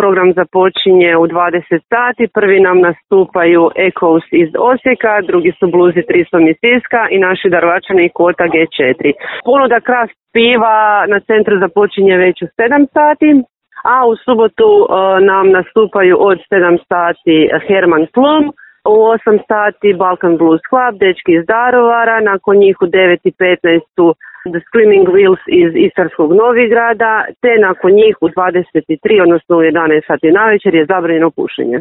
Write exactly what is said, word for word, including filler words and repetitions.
program započinje u dvadeset sati. Prvi nam nastupaju Echoes iz Osijeka, drugi su Bluzi tristo iz Siska i naši Darovačani Kota G četiri. Ponuda Kraft piva na centru započinje već u sedam sati. A u subotu uh, nam nastupaju od sedam sati Herman Plum, u osam sati Balkan Blues Club, dečki iz Darovara, nakon njih u devet i petnaest su The Screaming Wheels iz Istarskog Novigrada, te nakon njih u dvadeset tri, odnosno u jedanaest sati navečer je zabranjeno pušenje.